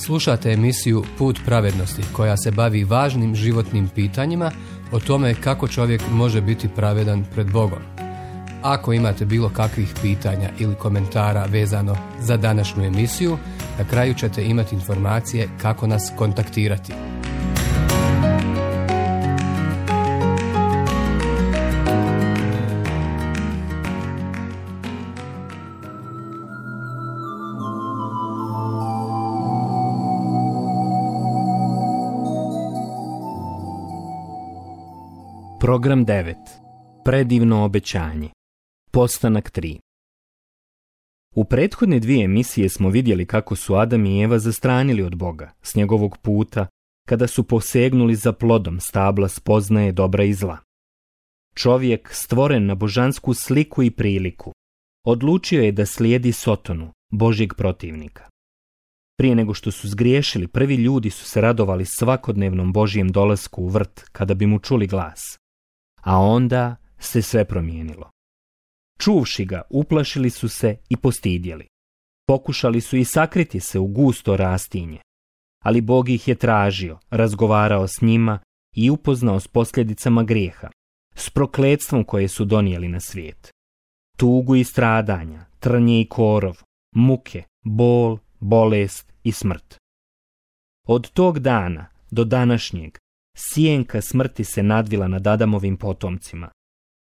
Slušate emisiju Put pravednosti koja se bavi važnim životnim pitanjima o tome kako čovjek može biti pravedan pred Bogom. Ako imate bilo kakvih pitanja ili komentara vezano za današnju emisiju, na kraju ćete imati informacije kako nas kontaktirati. Program 9. Predivno obećanje. Postanak 3. U prethodne 2 emisije smo vidjeli kako su Adam i Eva zastranili od Boga s njegovog puta kada su posegnuli za plodom stabla spoznaje dobra i zla. Čovjek, stvoren na božansku sliku i priliku, odlučio je da slijedi Sotonu, Božjeg protivnika. Prije nego što su zgriješili, prvi ljudi su se radovali svakodnevnom Božjem dolasku u vrt kada bi mu čuli glas. A onda se sve promijenilo. Čuvši ga, uplašili su se i postidjeli. Pokušali su i sakriti se u gusto rastinje. Ali Bog ih je tražio, razgovarao s njima i upoznao s posljedicama grijeha, s prokletstvom koje su donijeli na svijet. Tugu i stradanja, trnje i korov, muke, bol, bolest i smrt. Od tog dana do današnjeg sjenka smrti se nadvila nad Adamovim potomcima.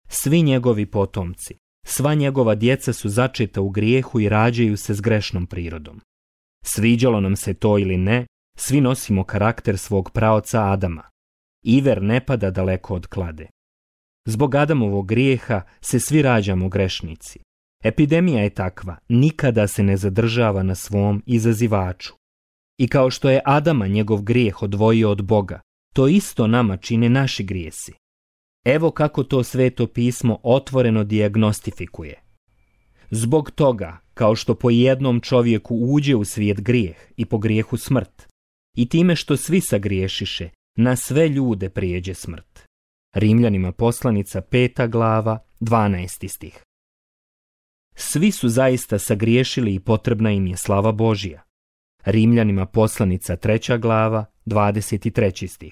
Svi njegovi potomci, sva njegova djeca su začeta u grijehu i rađaju se s grešnom prirodom. Sviđalo nam se to ili ne, svi nosimo karakter svog praoca Adama. Iver ne pada daleko od klade. Zbog Adamovog grijeha se svi rađamo grešnici. Epidemija je takva, nikada se ne zadržava na svom izazivaču. I kao što je Adama njegov grijeh odvojio od Boga, to isto nama čine naši grijesi. Evo kako to Sveto pismo otvoreno dijagnostifikuje. Zbog toga, kao što po jednom čovjeku uđe u svijet grijeh i po grijehu smrt, i time što svi sagriješiše, na sve ljude prijeđe smrt. Rimljanima poslanica 5. glava, 12. stih. Svi su zaista sagriješili i potrebna im je slava Božja. Rimljanima poslanica 3. glava, 23. stih.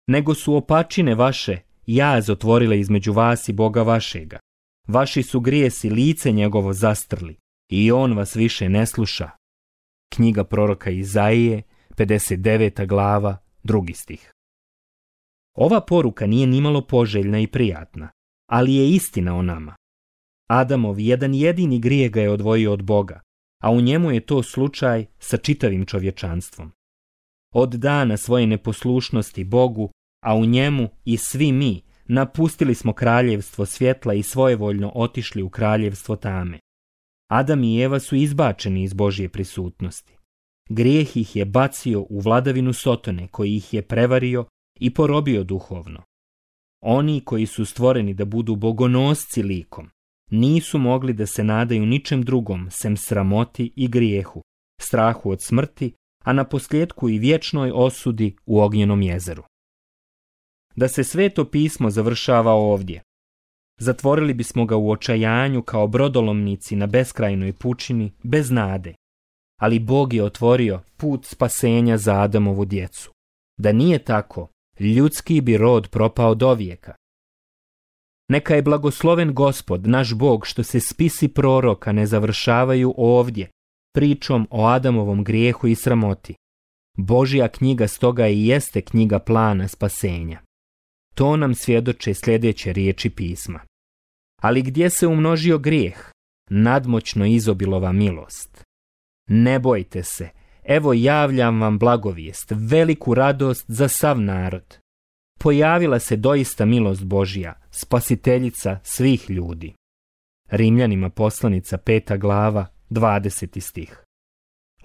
Nego su opačine vaše jaz otvorile između vas i Boga vašega. Vaši su grijesi lice njegovo zastrli i on vas više ne sluša. Knjiga proroka Izaije, 59. glava, 2. stih. Ova poruka nije nimalo poželjna i prijatna, ali je istina o nama. Adamov jedan jedini grijeh ga je odvojio od Boga, a u njemu je to slučaj sa čitavim čovječanstvom. Od dana svoje neposlušnosti Bogu, a u njemu i svi mi, napustili smo kraljevstvo svjetla i svojevoljno otišli u kraljevstvo tame. Adam i Eva su izbačeni iz Božje prisutnosti. Grijeh ih je bacio u vladavinu Sotone, koji ih je prevario i porobio duhovno. Oni koji su stvoreni da budu bogonosci likom, nisu mogli da se nadaju ničem drugom sem sramoti i grijehu, strahu od smrti, a na posljedku i vječnoj osudi u ognjenom jezeru. Da se Sveto pismo završava ovdje, zatvorili bismo ga u očajanju kao brodolomnici na beskrajnoj pučini, bez nade, ali Bog je otvorio put spasenja za Adamovu djecu. Da nije tako, ljudski bi rod propao dovijeka. Neka je blagosloven Gospod, naš Bog, što se spisi proroka ne završavaju ovdje, pričom o Adamovom grijehu i sramoti. Božja knjiga stoga i jeste knjiga plana spasenja. To nam svjedoče sljedeće riječi pisma. Ali gdje se umnožio grijeh, nadmoćno izobilova milost. Ne bojte se, evo javljam vam blagovijest, veliku radost za sav narod. Pojavila se doista milost Božja, spasiteljica svih ljudi. Rimljanima poslanica 5. glava, 20. stih.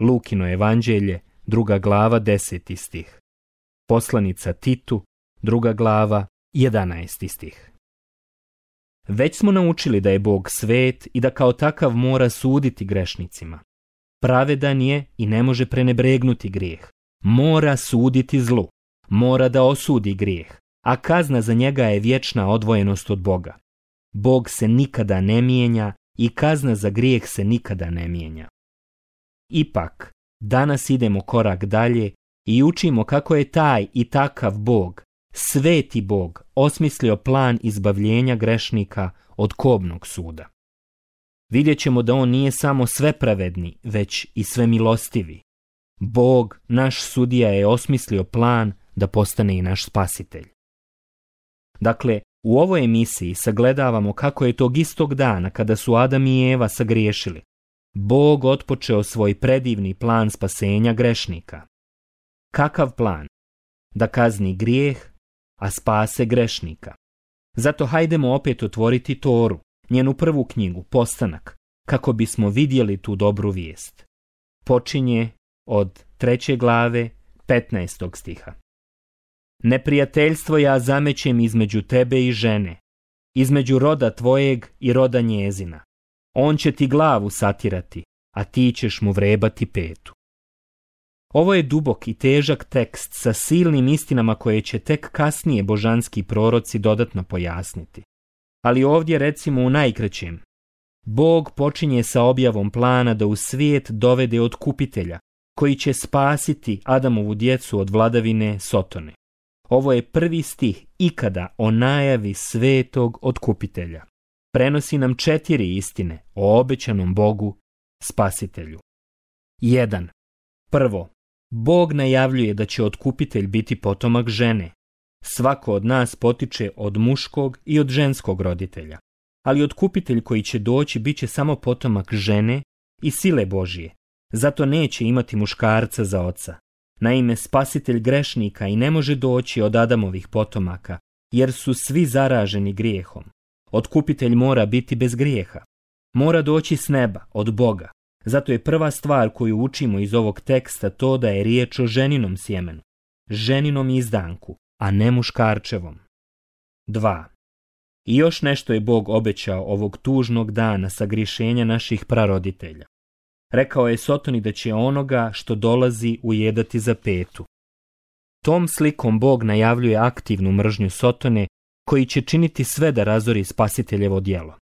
Lukino evanđelje, 2. glava, 10. stih. Poslanica Titu, 2. glava, 11. stih. Već smo naučili da je Bog svet i da kao takav mora suditi grešnicima. Pravedan je i ne može prenebregnuti grijeh. Mora suditi zlu. Mora da osudi grijeh, a kazna za njega je vječna odvojenost od Boga. Bog se nikada ne mijenja i kazna za grijeh se nikada ne mijenja. Ipak, Danas idemo korak dalje i učimo kako je taj i takav Bog, sveti Bog, osmislio plan izbavljenja grešnika od kobnog suda. Vidjet ćemo da on nije samo svepravedni, već i svemilostivi. Bog, naš sudija, je osmislio plan da postane i naš spasitelj. Dakle, u ovoj emisiji sagledavamo kako je tog istog dana kada su Adam i Eva sagriješili, Bog otpočeo svoj predivni plan spasenja grešnika. Kakav plan? Da kazni grijeh, a spase grešnika. Zato hajdemo opet otvoriti Toru, njenu prvu knjigu, Postanak, kako bismo vidjeli tu dobru vijest. Počinje od 3. glave 15. stiha. Neprijateljstvo ja zamećem između tebe i žene, između roda tvojeg i roda njezina. On će ti glavu satirati, a ti ćeš mu vrebati petu. Ovo je dubok i težak tekst sa silnim istinama koje će tek kasnije božanski proroci dodatno pojasniti. Ali ovdje recimo u najkraćem. Bog počinje sa objavom plana da u svijet dovede otkupitelja, koji će spasiti Adamovu djecu od vladavine Sotone. Ovo je prvi stih ikada o najavi svetog otkupitelja. Prenosi nam 4 istine o obećanom Bogu, spasitelju. 1. Prvo, Bog najavljuje da će otkupitelj biti potomak žene. Svako od nas potiče od muškog i od ženskog roditelja. Ali otkupitelj koji će doći bit će samo potomak žene i sile Božije. Zato neće imati muškarca za oca. Naime, spasitelj grešnika i ne može doći od Adamovih potomaka, jer su svi zaraženi grijehom. Otkupitelj mora biti bez grijeha. Mora doći s neba, od Boga. Zato je prva stvar koju učimo iz ovog teksta to da je riječ o ženinom sjemenu, ženinom izdanku, a ne muškarčevom. 2. I još nešto je Bog obećao ovog tužnog dana sagriješenja naših praroditelja. Rekao je Sotoni da će onoga što dolazi ujedati za petu. Tom slikom Bog najavljuje aktivnu mržnju Sotone, koji će činiti sve da razori spasiteljevo djelo.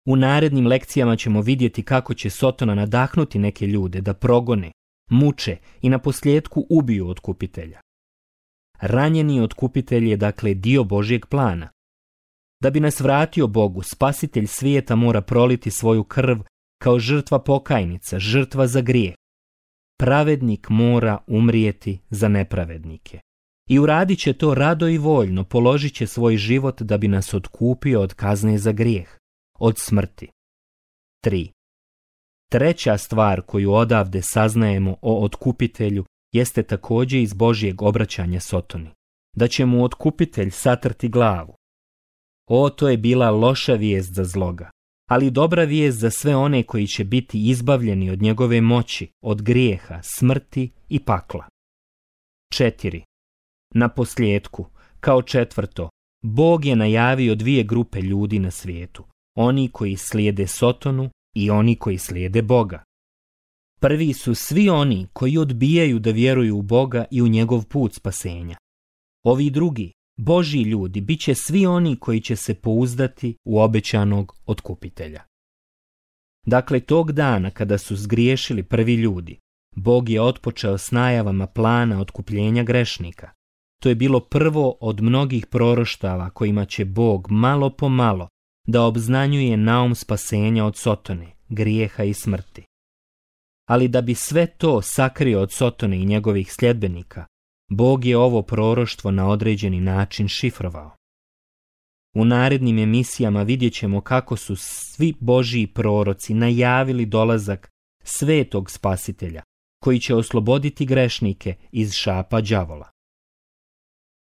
U narednim lekcijama ćemo vidjeti kako će Sotona nadahnuti neke ljude da progone, muče i naposljetku ubiju otkupitelja. Ranjeni otkupitelj je dakle dio Božjeg plana. Da bi nas vratio Bogu, spasitelj svijeta mora proliti svoju krv kao žrtva pokajnica, žrtva za grijeh. Pravednik mora umrijeti za nepravednike. I uradit će to rado i voljno, položit će svoj život da bi nas otkupio od kazne za grijeh, od smrti. 3. Treća stvar koju odavde saznajemo o otkupitelju jeste također iz Božjeg obraćanja Sotoni, da će mu otkupitelj satrti glavu. To je bila loša vijest za zloga, ali dobra vijest za sve one koji će biti izbavljeni od njegove moći, od grijeha, smrti i pakla. 4. Na posljedku, kao četvrto, Bog je najavio 2 grupe ljudi na svijetu, oni koji slijede Sotonu i oni koji slijede Boga. Prvi su svi oni koji odbijaju da vjeruju u Boga i u njegov put spasenja. Ovi drugi, Božji ljudi, bit će svi oni koji će se pouzdati u obećanog otkupitelja. Dakle, tog dana kada su zgriješili prvi ljudi, Bog je otpočeo s najavama plana otkupljenja grešnika. To je bilo prvo od mnogih proroštava kojima će Bog malo po malo da obznanjuje naum spasenja od Sotone, grijeha i smrti. Ali da bi sve to sakrio od Sotone i njegovih sljedbenika, Bog je ovo proroštvo na određeni način šifrovao. U narednim emisijama vidjet ćemo kako su svi Božji proroci najavili dolazak svetog spasitelja, koji će osloboditi grešnike iz šapa đavola.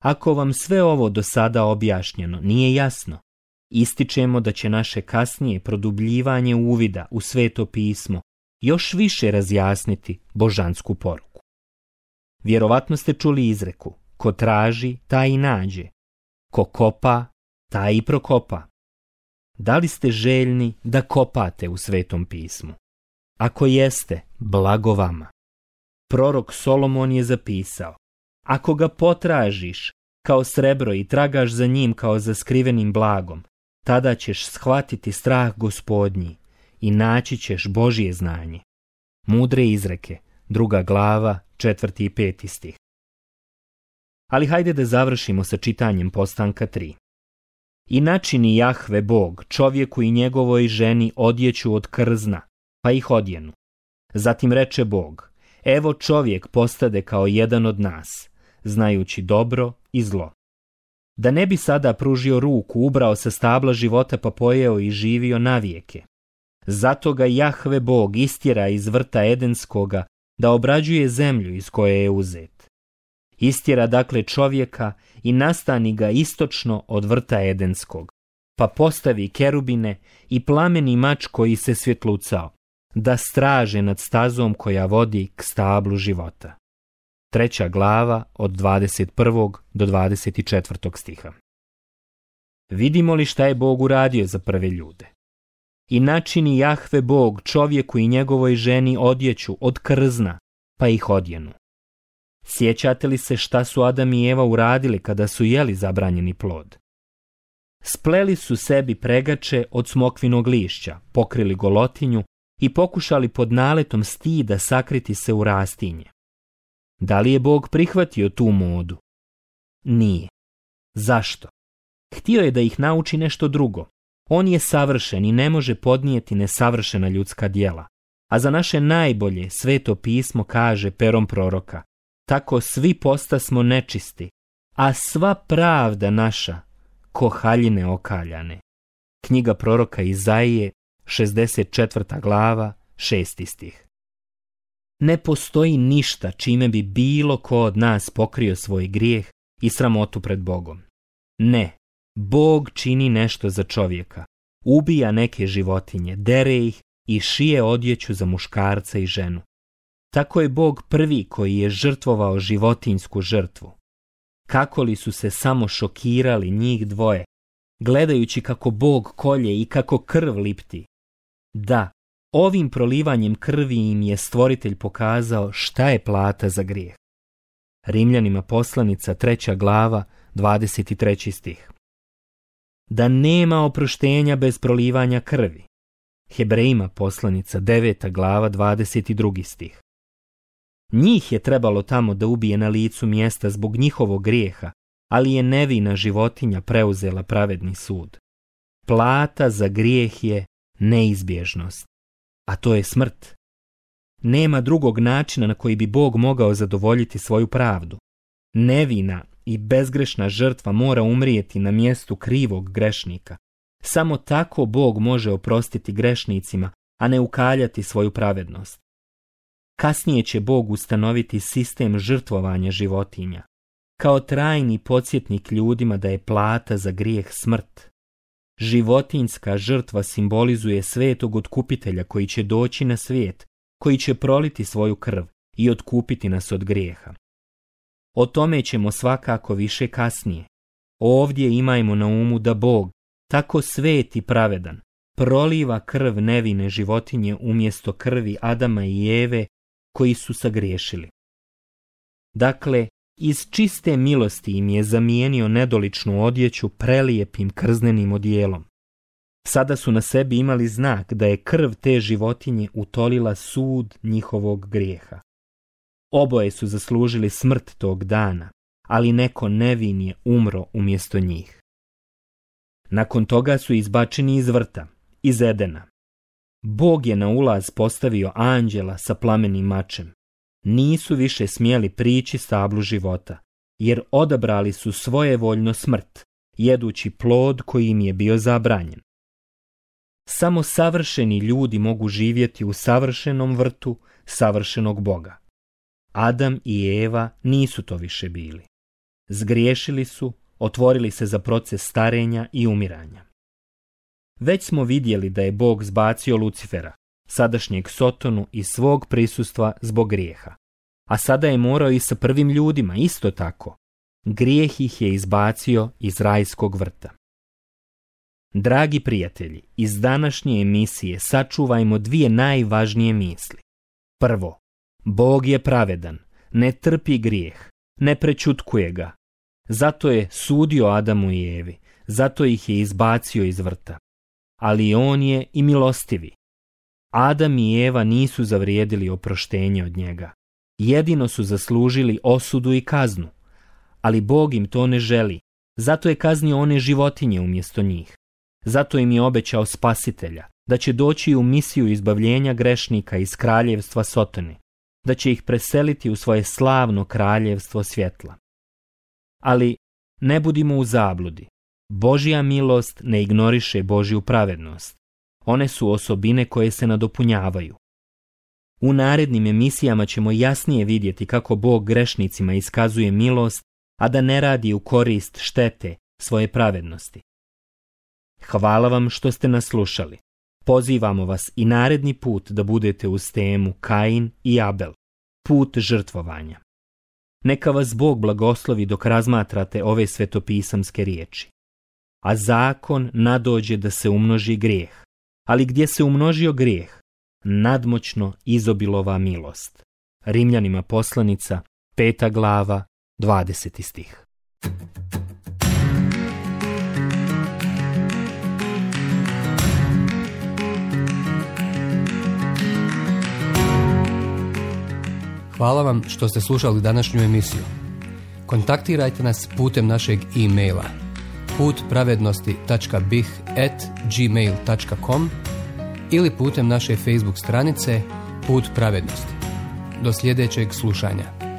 Ako vam sve ovo do sada objašnjeno nije jasno, ističemo da će naše kasnije produbljivanje uvida u Sveto pismo još više razjasniti božansku poruku. Vjerovatno ste čuli izreku: ko traži, taj i nađe, ko kopa, taj i prokopa. Da li ste željni da kopate u Svetom pismu? Ako jeste, blago vama. Prorok Solomon je zapisao: ako ga potražiš kao srebro i tragaš za njim kao za skrivenim blagom, tada ćeš shvatiti strah Gospodnji i naći ćeš Božje znanje. Mudre izreke 2. glava, 4. i 5. stih. Ali hajde da završimo sa čitanjem Postanka 3. I načini Jahve Bog čovjeku i njegovoj ženi odjeću od krzna, pa ih odjenu. Zatim reče Bog, evo čovjek postade kao jedan od nas, znajući dobro i zlo. Da ne bi sada pružio ruku, ubrao sa stabla života pa pojeo i živio navijeke. Zato ga Jahve Bog istjera iz vrta Edenskoga da obrađuje zemlju iz koje je uzet. Istjera dakle čovjeka i nastani ga istočno od vrta Edenskog, pa postavi kerubine i plameni mač koji se svjetlucao, da straže nad stazom koja vodi k stablu života. 3. glava od 21. do 24. stiha. Vidimo li šta je Bog uradio za prve ljude? I načini Jahve Bog čovjeku i njegovoj ženi odjeću od krzna, pa ih odjenu. Sjećate li se šta su Adam i Eva uradili kada su jeli zabranjeni plod? Spleli su sebi pregače od smokvinog lišća, pokrili golotinju i pokušali pod naletom stida sakriti se u rastinje. Da li je Bog prihvatio tu modu? Nije. Zašto? Htio je da ih nauči nešto drugo. On je savršen i ne može podnijeti nesavršena ljudska djela. A za naše najbolje Sveto pismo kaže perom proroka, tako svi postasmo nečisti, a sva pravda naša ko haljine okaljane. Knjiga proroka Izaije, 64. glava, 6. stih. Ne postoji ništa čime bi bilo ko od nas pokrio svoj grijeh i sramotu pred Bogom. Ne, Bog čini nešto za čovjeka, ubija neke životinje, dere ih i šije odjeću za muškarca i ženu. Tako je Bog prvi koji je žrtvovao životinjsku žrtvu. Kako li su se samo šokirali njih dvoje, gledajući kako Bog kolje i kako krv lipti. Da, ovim prolivanjem krvi im je Stvoritelj pokazao šta je plata za grijeh. Rimljanima poslanica 3. glava, 23. stih. Da nema oproštenja bez prolivanja krvi. Hebrejima poslanica 9. glava, 22. stih. Njih je trebalo tamo da ubije na licu mjesta zbog njihovog grijeha, ali je nevina životinja preuzela pravedni sud. Plata za grijeh je neizbježnost, a to je smrt. Nema drugog načina na koji bi Bog mogao zadovoljiti svoju pravdu. Nevina i bezgrešna žrtva mora umrijeti na mjestu krivog grešnika. Samo tako Bog može oprostiti grešnicima, a ne ukaljati svoju pravednost. Kasnije će Bog ustanoviti sistem žrtvovanja životinja, kao trajni podsjetnik ljudima da je plata za grijeh smrt. Životinjska žrtva simbolizuje svetog otkupitelja koji će doći na svijet, koji će proliti svoju krv i otkupiti nas od grijeha. O tome ćemo svakako više kasnije. Ovdje imajmo na umu da Bog, tako svet i pravedan, proliva krv nevine životinje umjesto krvi Adama i Eve koji su sagriješili. Dakle, iz čiste milosti im je zamijenio nedoličnu odjeću prelijepim krznenim odijelom. Sada su na sebi imali znak da je krv te životinje utolila sud njihovog grijeha. Oboje su zaslužili smrt tog dana, ali neko nevin je umro umjesto njih. Nakon toga su izbačeni iz vrta, iz Edena. Bog je na ulaz postavio anđela sa plamenim mačem. Nisu više smjeli prići stablu života, jer odabrali su svojevoljno smrt, jedući plod koji im je bio zabranjen. Samo savršeni ljudi mogu živjeti u savršenom vrtu savršenog Boga. Adam i Eva nisu to više bili. Zgriješili su, otvorili se za proces starenja i umiranja. Već smo vidjeli da je Bog zbacio Lucifera, sadašnjeg Sotonu, iz svog prisustva zbog grijeha. A sada je morao i sa prvim ljudima isto tako. Grijeh ih je izbacio iz rajskog vrta. Dragi prijatelji, iz današnje emisije sačuvajmo dvije najvažnije misli. Prvo, Bog je pravedan, ne trpi grijeh, ne prečutkuje ga. Zato je sudio Adamu i Evi, zato ih je izbacio iz vrta. Ali on je i milostivi. Adam i Eva nisu zavrijedili oproštenje od njega. jedino su zaslužili osudu i kaznu, ali Bog im to ne želi, zato je kaznio one životinje umjesto njih. Zato im je obećao spasitelja, da će doći u misiju izbavljenja grešnika iz kraljevstva Sotone, da će ih preseliti u svoje slavno kraljevstvo svjetla. Ali ne budimo u zabludi. Božja milost ne ignoriše Božju pravednost. One su osobine koje se nadopunjavaju. U narednim emisijama ćemo jasnije vidjeti kako Bog grešnicima iskazuje milost, a da ne radi u korist štete svoje pravednosti. Hvala vam što ste nas slušali. Pozivamo vas i naredni put da budete uz temu Kain i Abel, put žrtvovanja. Neka vas Bog blagoslovi dok razmatrate ove svetopisamske riječi. A zakon nadođe da se umnoži grijeh, ali gdje se umnožio grijeh, nadmoćno izobilova milost. Rimljanima poslanica, 5. glava, 20. stih. Hvala vam što ste slušali današnju emisiju. Kontaktirajte nas putem našeg e-maila putpravednosti.bih@gmail.com ili putem naše Facebook stranice Put pravednosti. Do sljedećeg slušanja.